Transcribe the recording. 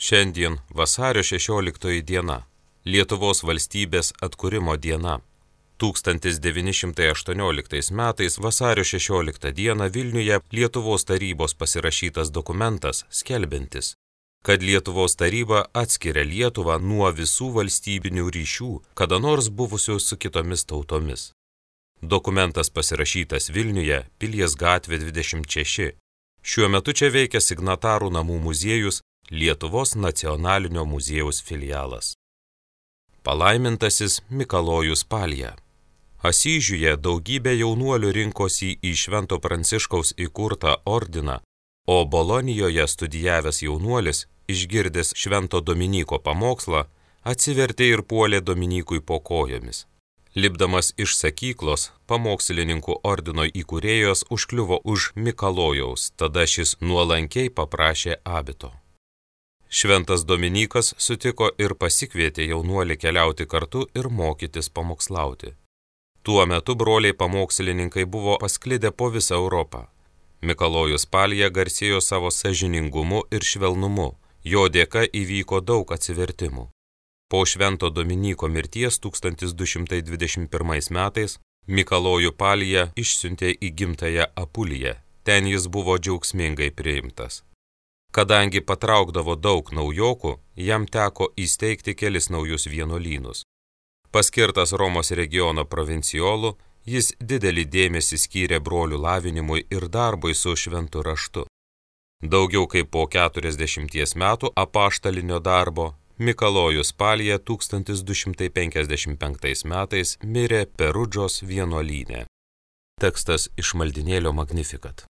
Šiandien vasario 16 diena, Lietuvos valstybės atkūrimo diena. 1918 metais vasario 16 dieną Vilniuje Lietuvos tarybos pasirašytas dokumentas skelbiantis, kad Lietuvos taryba atskiria Lietuvą nuo visų valstybinių ryšių, kada nors buvusių su kitomis tautomis. Dokumentas pasirašytas Vilniuje, Pilies gatvė 26. Šiuo metu čia veikia Signatarų namų muziejus, Lietuvos nacionalinio muziejaus filialas. Palaimintasis Mikalojus Palija. Asyžiuje daugybė jaunuolių rinkosi į Švento Pranciškaus įkurtą ordiną, o Bolonijoje studijavęs jaunuolis, išgirdęs Švento Dominyko pamokslą, atsivertė ir puolė Dominykui po kojomis. Lipdamas iš sakyklos, pamokslininkų ordino įkūrėjos užkliuvo už Mikalojaus, tada šis nuolankiai paprašė abito. Šventas Dominykas sutiko ir pasikvietė jaunuolį keliauti kartu ir mokytis pamokslauti. Tuo metu broliai pamokslininkai buvo pasklidę po visą Europą. Mikalojus Palija garsėjo savo sąžiningumu ir švelnumu, jo dėka įvyko daug atsivertimų. Po Švento Dominyko mirties 1221 metais Mikalojų Palija išsiuntė į gimtąją Apuliją, ten jis buvo džiaugsmingai priimtas. Kadangi patraukdavo daug naujokų, jam teko įsteigti kelis naujus vienuolynus. Paskirtas Romos regiono provincijolu, jis didelį dėmesį skyrė brolių lavinimui ir darbui su šventu raštu. Daugiau kaip po 40 metų apaštalinio darbo, Mikalojus Palija 1255 metais mirė Perudžos vienuolyne. Tekstas iš maldinėlio Magnificat.